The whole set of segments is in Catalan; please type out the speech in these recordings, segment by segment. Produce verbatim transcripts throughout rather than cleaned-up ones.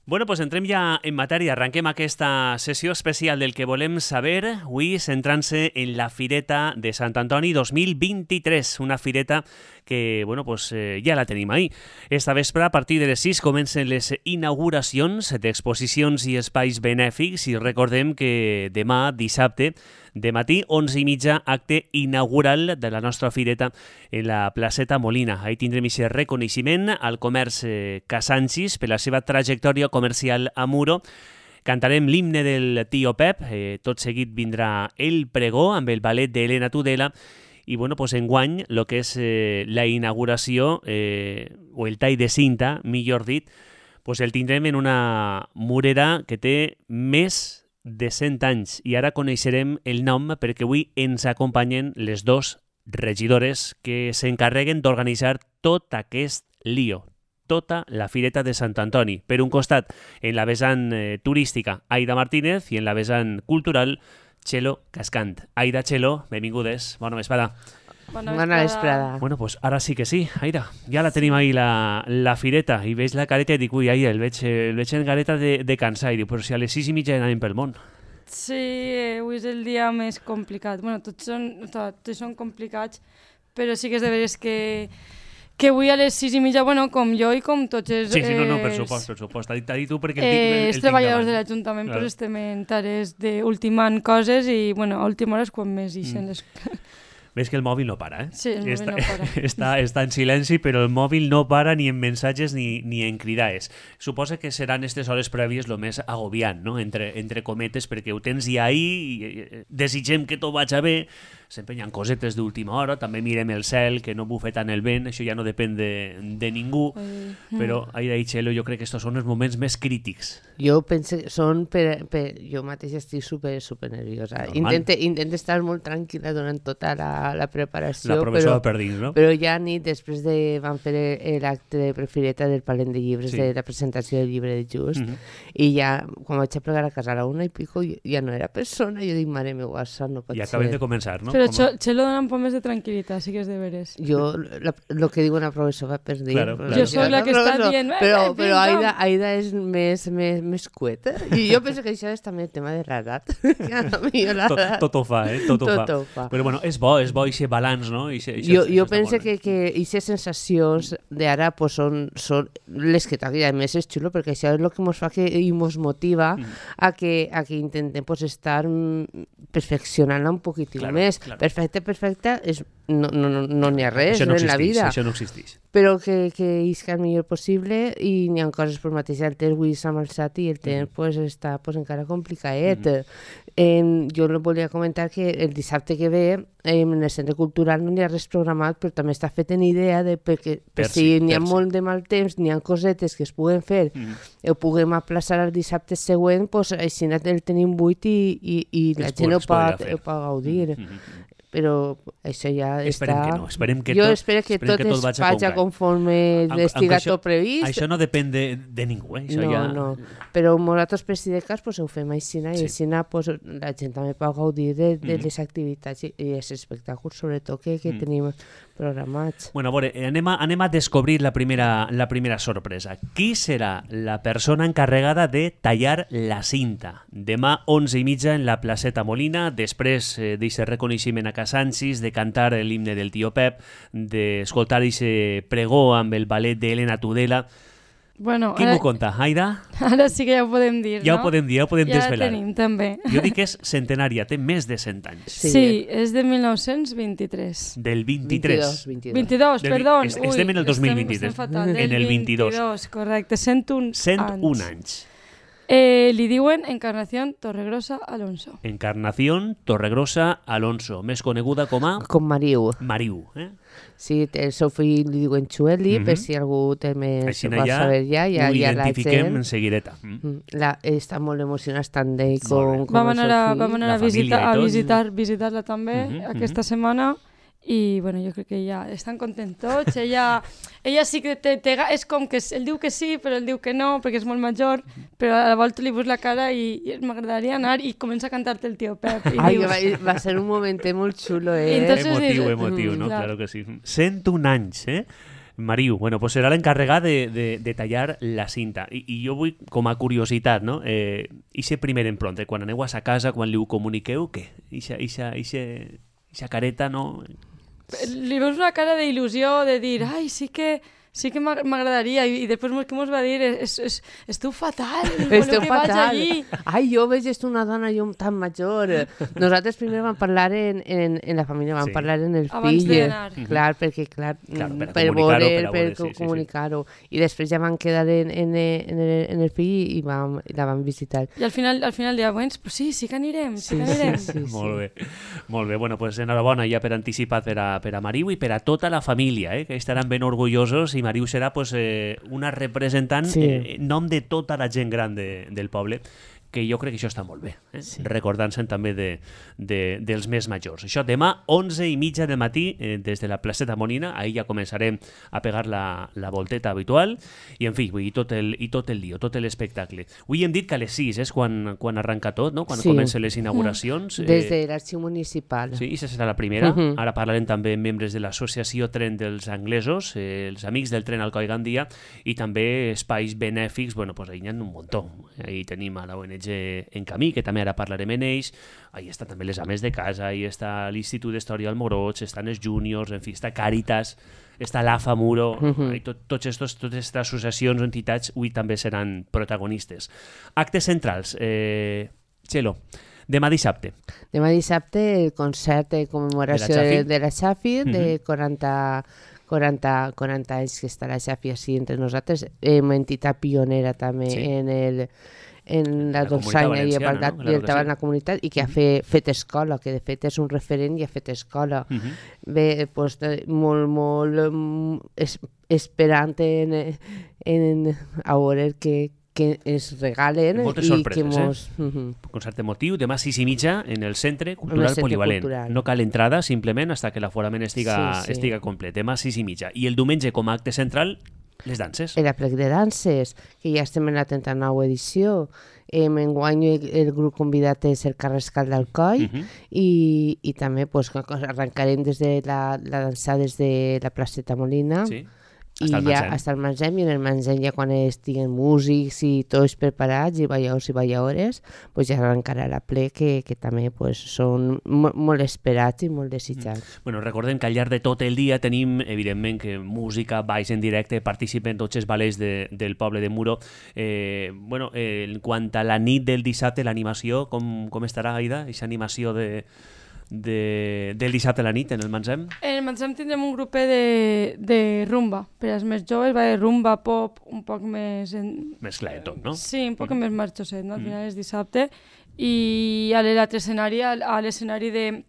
Bueno, pues entrem ja en matèria. Arranquem aquesta sessió especial del que volem saber, avui centrant-se en la Fireta de Sant Antoni dos mil vint-i-tres, una fireta que, bueno, pues eh, ja la tenim ahí. Esta vespre, a partir de les sis, comencen les inauguracions d'exposicions i espais benèfics i recordem que demà, dissabte, de matí, onze i mitja, acte inaugural de la nostra fireta en la placeta Molina. Ahí tindrem aquest reconeixement al comerç eh, Casancis per la seva trajectòria comercial a Muro. Cantarem l'himne del Tío Pep, eh, tot seguit vindrà el pregó amb el ballet d'Helena Tudela i, bueno, pues enguany, el que és eh, la inauguració, eh, o el tall de cinta, millor dit, pues el tindrem en una murera que té més de cent anys i ara coneixerem el nom perquè avui ens acompanyen les dos regidores que s'encarreguen d'organitzar tot aquest lío, tota la Fireta de Sant Antoni. Per un costat, en la vessant eh, turística, Aida Martínez, i en la vessant cultural, Txelo Cascant. Aida, Txelo, benvingudes. Bona vesprada. Bona vesprada. vesprada. Bueno, pues ara sí que sí, Aida. Ja la tenim ahí, la, la fireta, i veig la careta i dic, ui, Aida, el veig, el veig en careta de, de cansar. I dic, però si a les sis i mitja anem pel món. Sí, avui és el dia més complicat. Bueno, tots són, tots són complicats, però sí que és de veres que, que avui a les sis i mitja, bueno, com jo i com tots els... Sí, sí, no, no, per supost, per supost. T'ha dit, dit tu perquè el, eh, el, el els treballadors de l'Ajuntament claro. pues estem en tares d'ultimant coses i, bueno, a última hora és quan més ixen mm. les... Ves que el mòbil no para, eh? Sí, el mòbil està, no para. Està, està en silenci, però el mòbil no para ni en missatges ni, ni en cridades. Suposa que seran aquestes hores prèvies el més agobiant, no? Entre, entre cometes, perquè ho tens ja ahí, desitgem que tot vagi bé, sempre hi ha cosetes d'última hora, també mirem el cel, que no bufe tant el vent, això ja no depèn de, de ningú, Ai. però, Aida i Txelo, jo crec que estos són els moments més crítics. Jo penso que són per, per... Jo mateix estic super, super nerviosa. Intente, intente estar molt tranquil·la durant tota la, la preparació, la professora però, per dins, no? però ja ni després de... van fer l'acte de prefireta del Palent de Llibres, sí. de la presentació del llibre de Just, mm -hmm. i ja, quan vaig a plegar a casa a la una i pico, ja no era persona, jo dic, mare meva, això no pot I ser. I acabem de començar, no? Però Txelo dona un poc més de tranquil·litat, sí que és de veres. Jo, el que diu una professora per dir... Claro, claro. Jo soc la que està dient... Però, però Aida, Aida és més, més, més cueta, i jo penso que això és també el tema de l'edat. tot, tot ho fa, eh? Tot, ho, tot fa. ho fa. Però bueno, és bo, és bo aquest balanç, no? Ixe, ixe, jo jo penso que aquestes sensacions d'ara pues, són, són les que t'agrada. A més és xulo perquè això és el que ens fa que, i ens motiva mm. a, que, a que intentem pues, estar perfeccionant-la un poquitiu claro, més. Claro. Perfecte, perfecte, és, no n'hi no, no, no ha res no en la vida. Això no existeix. Però que, que isca el millor possible i n'hi ha coses per mateix. El temps avui s'ha malsat i el temps mm. pues, està pues, encara complicadet. Mm. Eh, jo volia comentar que el dissabte que ve eh, en el Centre Cultural no n'hi ha res programat, però també està fet en idea de perquè per, per si n'hi ha per molt si. de mal temps, n'hi ha cosetes que es puguen fer, mm. ho puguem aplaçar al dissabte següent, pues, així el tenim buit i, i, i la gent ho pot, ho pot gaudir. Mm. Però això ja esperem està... Que no. Esperem que jo tot, espero que esperem tot que tot es vaja faci conforme estiga tot previst. Això no depèn de, de ningú, eh? Això no, ja... no. Però nosaltres per si de cas pues, ho fem així, i sí. així pues, la gent també pot gaudir de, de mm. les activitats i, i els espectacles, sobretot, que, que mm. tenim programats. Bueno, a veure, anem a, anem a descobrir la primera, la primera sorpresa. Qui serà la persona encarregada de tallar la cinta? Demà, onze i mitja, en la placeta Molina, després eh, d'aquest reconeixement a Casancis, de cantar l'himne del Tío Pep, d'escoltar aquest pregó amb el ballet d'Helena Tudela. Bueno, Qui m'ho conta? Aida? Ara sí que ja ho podem dir, ja no? Ho podem dir, ja ho podem ja desvelar. Ja la tenim, també. Jo dic que és centenària, té més de cent anys. Sí, sí és de mil nou-cents vint-i-tres. Del vint-i-tres. vint-i-dos, vint-i-dos, Del, perdó. es, estem en el dos mil vint-i-tres. Estem fatal. En el vint-i-dos. vint-i-dos, correcte. cent un anys. cent un anys. Eh, li diuen Encarnación Torregrosa Alonso. Encarnación Torregrosa Alonso, més coneguda com a... Com Mariu. Mariu, eh? Sí, el seu fill li diuen Xueli, mm -hmm. per si algú té més... Així vol ja saber ja, ja, ho ja identifiquem en seguideta. Mm. La, està molt emocionat tant d'ell com, com vam el seu anar, fill. vam anar a, visita, a visitar, visitar-la també mm -hmm, aquesta mm -hmm. setmana i bueno, jo crec que ja estan contents tots. Ella, ella sí que té, té, és com que ell diu que sí, però ell diu que no, perquè és molt major, però a la volta li veus la cara i, i m'agradaria anar i comença a cantar-te el Tío Pep. I Ai, dius... va, va ser un moment molt xulo, eh? Entonces, emotiu, dius, emotiu, mm, no? clar. Claro que sí. cent un anys, eh? Mariu, bueno, pues serà l'encarregat de, de, de tallar la cinta. I, I jo vull, com a curiositat, no? Eh, ixe primer empronte, quan aneu a sa casa, quan li ho comuniqueu, què? Ixa, ixa, ixa, ixa careta, no? Li veus una cara d'il·lusió, de dir, ai, sí que... Sí que m'agradaria, i després que mos va dir, es, es, esteu fatal, esteu que fatal. vaig allí. Ai, jo veig una dona jo tan major. Nosaltres primer vam parlar en, en, en la família, vam sí. parlar en el Abans fill. d'anar. Clar, perquè, clar, clar per, per veure, per, per sí, comunicar-ho. Sí, sí. I després ja vam quedar en, en, en, el, en el fill i vam, la vam visitar. I al final, al final deia, doncs pues sí, sí que anirem, sí, sí que anirem. Sí, sí, sí. Molt bé, molt bé. Bueno, pues enhorabona ja per anticipat per a, per a Mariu i per a tota la família, eh, que estaran ben orgullosos, i Mariu serà pues, eh, una representant sí. eh, en nom de tota la gent gran de, del poble, que jo crec que això està molt bé, eh? Sí. Recordant-se'n també de, de, dels més majors. Això demà, onze i mitja del matí, eh, des de la placeta Molina, ahir ja començarem a pegar la, la volteta habitual, i en fi, vull dir, tot el, i tot el lío, tot l'espectacle. Avui hem dit que a les sis és quan, quan arranca tot, no? Quan sí. comencen les inauguracions. Mm. Des de l'arxiu municipal. Sí, aquesta serà la primera. Uh -huh. Ara parlarem també amb membres de l'associació Tren dels Anglesos, eh, els amics del tren Alcoi Gandia, i també espais benèfics, bueno, pues ahí n'hi ha un muntó. Ahí tenim a la O N G en camí, que també ara parlarem en ells, ahí estan també les ames de casa, ahí està l'Institut d'Història al Moroig, estan els Júniors, en fi, està Càritas, està l'AFA Muro, uh -huh. tot, tots estos, totes aquestes associacions o entitats avui també seran protagonistes. Actes centrals, eh, Txelo, demà dissabte. Demà dissabte el concert de commemoració de, de la Xafi, uh -huh. de quaranta... quaranta, quaranta anys que està la Xafi així entre nosaltres, hem entitat pionera també sí. en el en la, la dolçaina i igualtat no? en la comunitat i que ha fet, fet escola, que de fet és un referent i ha fet escola. Uh -huh. Bé, doncs, molt, molt es, esperant en, en a veure que que es regalen moltes i sorpreses, que mos... eh? Uh -huh. Concert emotiu, demà sis i mitja en el Centre Cultural centre Polivalent. Cultural. No cal entrada, simplement, hasta que l'aforament estiga, sí, sí. estiga complet. Demà sis i mitja. I el diumenge, com a acte central, les danses. El aplec de danses, que ja estem en la trenta-nova edició. Eh, enguany el, el grup convidat és el Carrascal d'Alcoi uh -huh. i, i també pues, arrencarem des de la, la dansa des de la placeta Molina. Sí. I ja hasta el Mansem, i en el Mansem ja quan estiguen músics i tots preparats i balladors i balladores, pues ja arrencarà la ple que, que també pues, són molt, molt esperats i molt desitjats. Mm. Bueno, recordem que al llarg de tot el dia tenim, evidentment, que música, balls en directe, participen tots els ballets de, del poble de Muro. Eh, bueno, eh, en quant a la nit del dissabte, l'animació, com, com estarà, Aida? Aquesta animació de... De, del dissabte a la nit en el Mansem? En el Mansem tindrem un grupet de, de rumba, per als més joves, va de rumba, pop, un poc més... En... Més clar de tot, no? Sí, un poc mm. més marxoset, no? Al final és dissabte. I a l'altre escenari, a l'escenari de,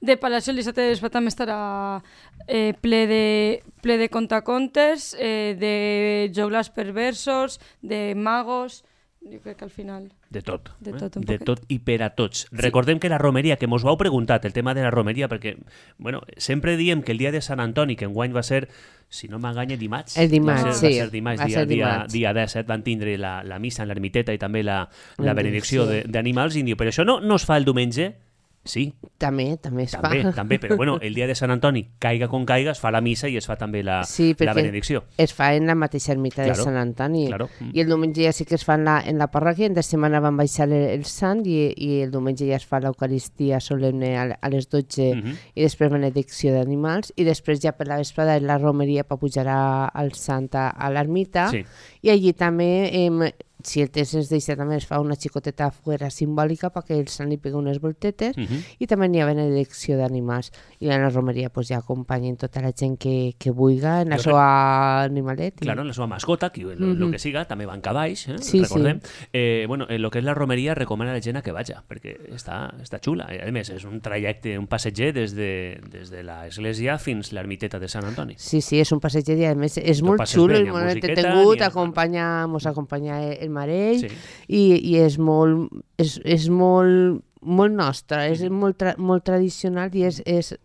de Palacio, el dissabte de també estarà eh, ple, de, ple de contacontes, eh, de joglars perversos, de magos... Jo crec que al final... De tot. De tot, eh? un de poquet. tot i per a tots. Sí. Recordem que la romeria, que mos ho heu preguntat, el tema de la romeria, perquè bueno, sempre diem que el dia de Sant Antoni, que enguany va ser, si no m'enganya, dimarts. El dimarts, va ser, sí. Va ser dimarts, va dia, ser dia, dimarts. dia disset, van tindre la, la missa en l'ermiteta i també la, la benedicció sí. d'animals, i diu, però això no, no es fa el diumenge? Sí. També, també es també, fa. També, però bueno, el dia de Sant Antoni, caiga com caiga, es fa la missa i es fa també la, sí, la benedicció. Es fa en la mateixa ermita claro, de Sant Antoni. Claro. I el diumenge ja sí que es fa en la, en la parròquia, en de setmana van baixar el, el sant i, i el diumenge ja es fa l'Eucaristia solemne a, a les dotze uh -huh. i després benedicció d'animals i després ja per la vesprada la romeria per pujar a, al sant a, a l'ermita sí. I allí també... Eh, si el temps ens deixa també es fa una xicoteta fuera simbòlica perquè el sant li pega unes voltetes uh -huh. i també n'hi ha benedicció d'animals i en la romeria pues, ja acompanyen tota la gent que, que vulga en la seva animalet. I... Claro, en la seva mascota, que el uh -huh. que siga, també van cavalls, eh? sí, recordem. Sí. Eh, bueno, en lo que és la romeria recomana a la gent a que vaja, perquè està, està xula. A més, és un trajecte, un passeger des de, des de l'església fins l'ermiteta de Sant Antoni. Sí, sí, és un passeger i a més és molt xulo i molt entretingut, acompanya, mos acompanya el marell sí. i, i és molt és, és molt molt nostra, és molt, tra molt tradicional i és, és,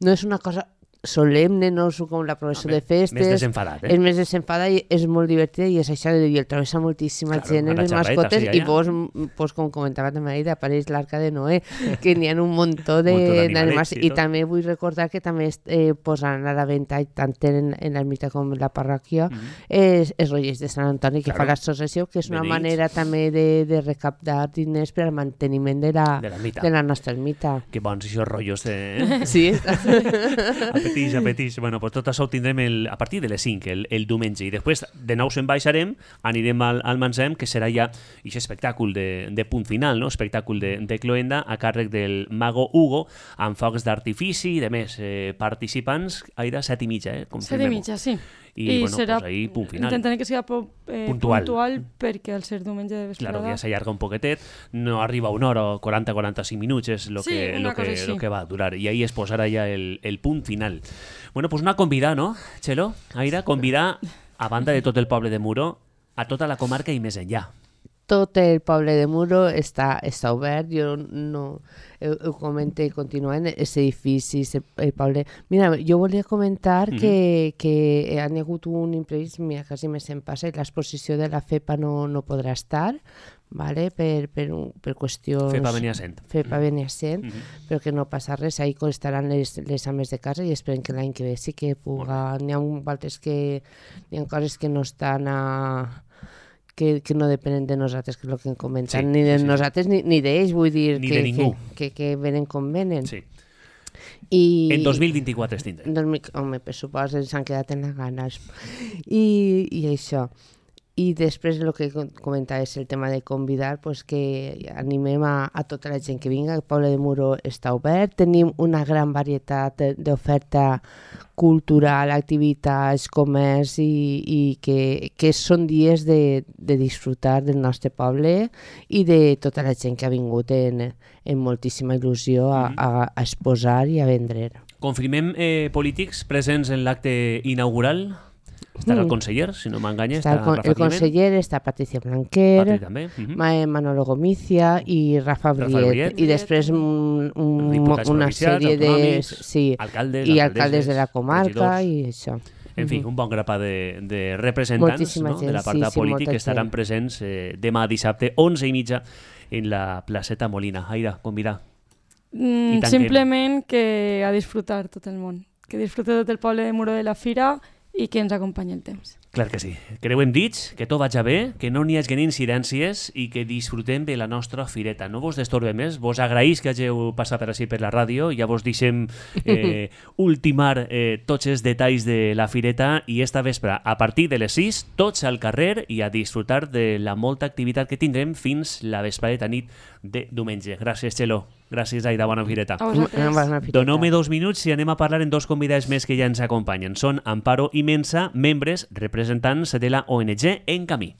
no és una cosa solemne, no com la professó de festes. Més desenfadat, eh? És més desenfadat i és molt divertida i és això, i el travessa moltíssima Claro, gent en una les xarreta, mascotes sí, i allà. vos, pues, com comentava també ahir, apareix l'arca de Noé, que n'hi ha un muntó de- Muntó d'animalets d'animals i i tot. també vull recordar que també eh, posaran a la venda tant en, en l'ermita com en la parròquia és, és Rogers de Sant Antoni que Claro. fa l'associació, que és una Beneïts. manera també de, de recaptar diners per al manteniment de la, De l'ermita. de la nostra ermita. Que bons aquests rotllos de... Eh? Sí, Apetix, apetix. Bueno, pues tot això ho tindrem el, a partir de les cinc, el, el diumenge. I després de nou se'n baixarem, anirem al, al Mansem, que serà ja aquest espectacle de, de punt final, no? Espectacle de, de cloenda a càrrec del mago Hugo, amb focs d'artifici i de més eh, participants. Aira, set i mitja, eh? Set i mitja, sí. I, bueno, pues ahí, punt final. Intentaré que sigui po, eh, Puntual. puntual. perquè al ser diumenge de vesprada... Claro, ja s'allarga un poquetet, no arriba a una hora o quaranta a quaranta-cinc minuts, és lo, Sí, que, una lo, que, cosa així. lo que va a durar. I ahí es posarà ja el, el punt final. Bueno, pues una convidar, no, Txelo? Aira, convidar, a banda de tot el poble de Muro, a tota la comarca i més enllà. tot el poble de Muro està, està obert, jo no ho, ho comento continuant, és edifici, el, el poble... Mira, jo volia comentar mm-hmm. que, que han hagut un imprevist, mira, quasi més em passa, l'exposició de la FEPA no, no podrà estar, vale? per, per, per qüestions... FEPA Beniasent. FEPA Beniasent, Mm-hmm. però que no passa res, ahí estaran les, les ames de casa i esperem que l'any que ve sí que puga... N'hi ha altres que... N'hi ha coses que no estan a... Que, que no depenen de nosaltres, que és el que hem comentat, Sí, ni de sí, sí. nosaltres ni, ni d'ells, vull dir Ni que, de ningú. que, que, que venen com venen. Sí. I, En dos mil vint-i-quatre es tindrà. dos mil, home, per supost, s'han quedat en les ganes. I, i això. I després el que comentava és el tema de convidar, pues, que animem a, a tota la gent que vinga, el poble de Muro està obert, tenim una gran varietat d'oferta cultural, activitats, comerç i, i que, que són dies de, de disfrutar del nostre poble i de tota la gent que ha vingut en, en moltíssima il·lusió a, a, a exposar i a vendre. Confirmem eh, polítics presents en l'acte inaugural. Estarà el conseller, si no m'enganya. Està el, con el conseller, està Patricia Blanquer, Patri també. Uh -huh. Manolo Gomicia i Rafa Briet. Briet. I després un, un, Diputats una provincials, sèrie de... autonòmics, Sí, alcaldes, i alcaldesses, alcaldes de la comarca regidors. i això. En fi, un bon grapat de, de representants, Moltíssima no? gent, de la part sí, sí, política molta que estaran gent. presents eh, demà dissabte, onze i mitja, en la placeta Molina. Aira, convidar. Mm, I tanquem. simplement que a disfrutar tot el món. Que disfrute tot el poble de Muro de la Fira i que ens acompanyi el temps. Clar que sí. Creuem dits, que tot vaig bé, que no n'hi hagi incidències i que disfrutem de la nostra fireta. No vos destorbe més, vos agraïs que hàgiu passat per així per la ràdio, ja vos deixem eh, ultimar eh, tots els detalls de la fireta i esta vespre, a partir de les sis, tots al carrer i a disfrutar de la molta activitat que tindrem fins la vesprada nit de diumenge. Gràcies, Txelo. Gràcies, Aida. Bona fireta. A vosaltres. Bona fireta. Doneu-me dos minuts i anem a parlar en dos convidats més que ja ens acompanyen. Són Amparo i Mensa, membres representants de la O N G En Camí.